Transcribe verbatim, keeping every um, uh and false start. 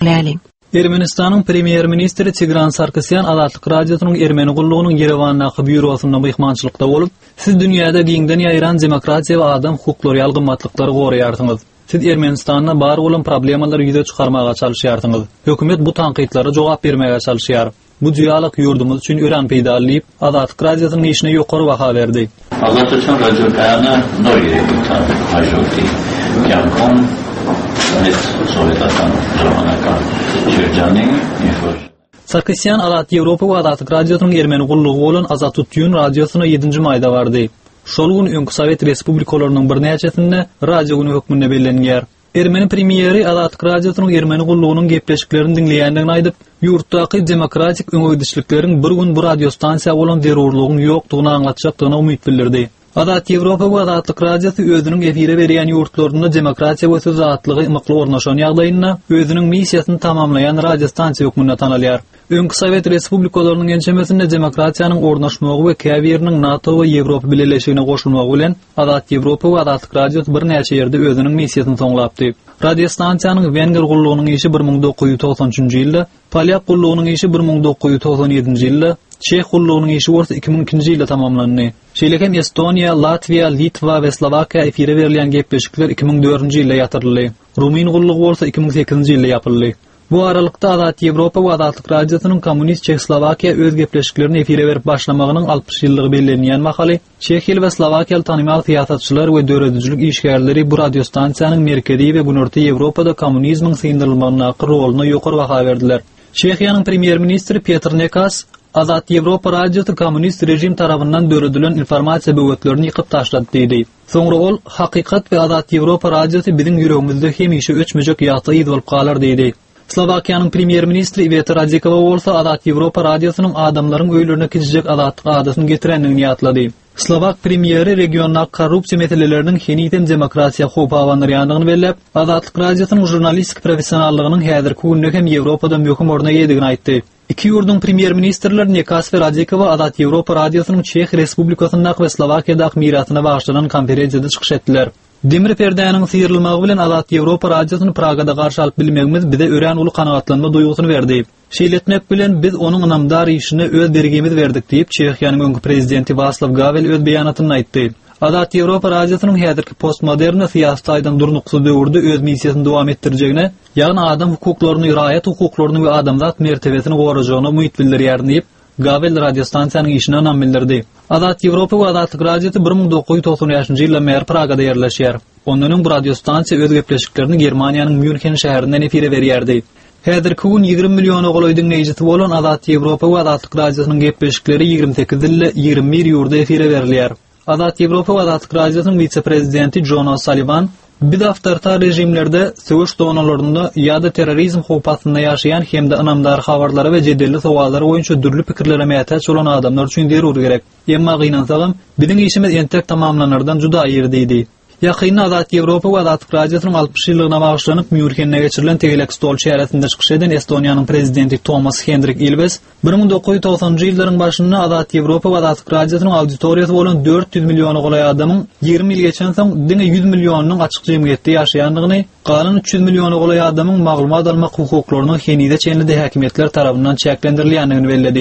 Läliň. Ermenistanyň premýer-ministri Tigran Sarkisýan Azatlyk Radiosynyň Ermeni gullugynyň Ýerewandaky býurosynda myhmançylykda bolup, siz dünýäde giňden ýaýran demokratiýa we adam hukuklary ýaly gymmatlyklary goraýarsyňyz. Siz Ermenistanda bar bolan problemalary ýüze çykarmaga çalyşýarsyňyz. Hökümet bu tankytlara jogap bermäge çalyşýar. Bu dialog ýurdumyz üçin örän peýdaly diýip, Azatlyk Radiosynyň işine ýokary baha berdi. Ազատություն ռադիոկայանը նոր երևույթ է հայ ժողովրդի կյանքում մեծ սովետական ժամանակաշրջանի, ինչ որ Sarkisýan Azat Ýewropa we Azatlyk Radiosynyň Ermeni gullugy bolan Azatutýun radiosyna ýedinji maýda bardy. Şol gün öňki Sowet respublikalarynyň birnäçesinde radio güni hökmünde bellenýär. Ermeni premýeri Azatlyk Radiosynyň Ermeni gullugynyň gepleşiklerini diňleýändigini aýdyp, ýurtdaky demokratik öňegidişlikleriň bir gün bu radiostansiýa bolan zerurlygyň ýokdugyny aňlatjakdygyna umyt bildirdi. Azat Ýewropa we Azatlyk Radiosy özüniň efire berýän ýurtlarynda demokratiýa we söz azatlygy ymykly ornaşan ýagdaýynda özüniň missiýasyny tamamlaýan radiostansiýa hökmünde tanalýar. Öňki Sowet respublikalarynyň ençemesinde demokratiýanyň ornaşmagy we käbiriniň NATO we Ýewropa Bileleşigine goşulmagy bilen Azat Ýewropa we Azatlyk Radiosy birnäçe ýerde özüniň missiýasyny soňlapdy. Radiostansiýanyň Wenger gullugynyň işi bir müň dokuz ýüz togsan üçünji ýylda, Polyak gullugynyň işi bir müň dokuz ýüz togsan ýedinji ýylda, Çeh gullugynyň işi bolsa iki müň ikinji ýylda tamamlandy. Şeýle hem Estoniýa, Latwiýa, Litwa we Slowakiýa efire berilýän gepleşikler iki müň dördünji ýylda ýatyryldy. Rumyn gullugy bolsa iki müň sekizinji ýylda ýapyldy. Bu aralykda Azat Ýewropa we Azatlyk Radiosynyň Kommunist Çehoslowakiýa öz gepleşiklerini efire berip başlamagynyň altmyş ýyllygy bellenýän mahaly Çehiýaly we Slowakiýaly tanymal syýasatçylar we döredijilik işgärleri bu radiostansiýanyň Merkezi we Günorta Ýewropada kommunizmiň syndyrylmagyndaky roluna ýokary baha berdiler. Çehiýanyň premýer-ministri Petr Nekas Azat Ýewropa radiosy kommunist rejim tarapyndan döredilen informasiýa böwetlerini ýykyp taşlady diýdi. Soňra ol Hakykat we Azat Ýewropa radiosy biziň ýüregimizde hemişe öçmejek ýagty yz bolup galar diýdi. Slowakiýanyň premýer-ministri Iweta Radikowa bolsa Azat Ýewropa radiosynyň adamlaryň öýlerine kiçijek azatlyk adasyny getirendigini ýatlady. Slowak premýeri regiondaky korrupsiýa meseleleriniň henizem demokratiýa howp abandyrýandygyny belläp, Azatlyk radiosynyň žurnalistik professionallygynyň häzirki günde hem Ýewropada möhüm orna eýedigini aýtdy. Iki ýurduň premýer-ministrleri Nekas we Radikowa Azat Ýewropa radiosynyň Çeh Respublikasyndaky we Slowakiýadaky mirasyna bagyşlanan konferensiýada çykyş etdiler. Demir perdäniň syrylmagy bilen Azat Ýewropa radiosyny Pragada garşy alyp bilmegimiz bize örän uly kanagatlanma duýgusyny berdi. Şeýle etmek bilen biz onuň ynamdar işine öz bergimizi berdik diýip, Çehiýanyň öňki prezidenti Waslaw Gawel öz beýanatynda aýtdy. Azat Ýewropa radiosynyň häzirki postmodern syýasy taýdan durnuksyz döwürde öz missiýasyny dowam etdirjegine, ýagny adam hukuklaryny, raýat hukuklaryny we adamzat mertebesini gorajagyna umyt bildirýär diýip, Gawel radiostansiýanyň işine ynam bildirdi. Azat Ýewropa we Azatlyk radiosy bir müň dokuz ýüz togsan bäşinji ýyldan bäri Pragada ýerleşýär. Ondan öň bu radiostansiýa öz gepleşiklerini Germaniýanyň Mýunhen şäherinden efire berýärdi. Häzirki gün ýigrimi milliona golaý diňleýjisi bolan Azat Ýewropa we Azatlyk radiosynyň gepleşikleri ýigrimi sekiz dilde ýigrimi bir ýurda efire berilýär. Azat Ýewropa we Azatlyk radiosynyň wise-prezidenti Jon O'Sullivan, Biz awtoritar režimlerde, söweş zonalarynda ýa-da terrorizm howpy astynda ýaşaýan hem-de ynamdar habarlara we jedelli sowallar boýunça dürli pikirlere mätäç bolan adamlar üçin zerur gerek. Emma gynansagam, biziň işimiz entek tamamlanardan juda ir diýdi. Ýakynda Azat Ýewropa we Azatlyk Radiosynyň altmyş ýyllygyna bagyşlanyp Mýunhende geçirilen tegelek stol çäresinde çykyş eden Estoniýanyň prezidenti Tomas Hendrik Ilwes bir müň dokuz ýüz togsanynjy ýyllaryň başynda Azat Ýewropa we Azatlyk Radiosynyň auditoriýasy bolan dört ýüz milliona golaý adamyň ýigrimi ýyl geçensoň diňe ýüz millionynyň açyk jemgyýetde ýaşaýandygyny, galan üç ýüz milliona golaý adamyň maglumat almak hukuklarynyň henize çenli-de häkimiýetler tarapyndan çäklendirilýändigini belledi.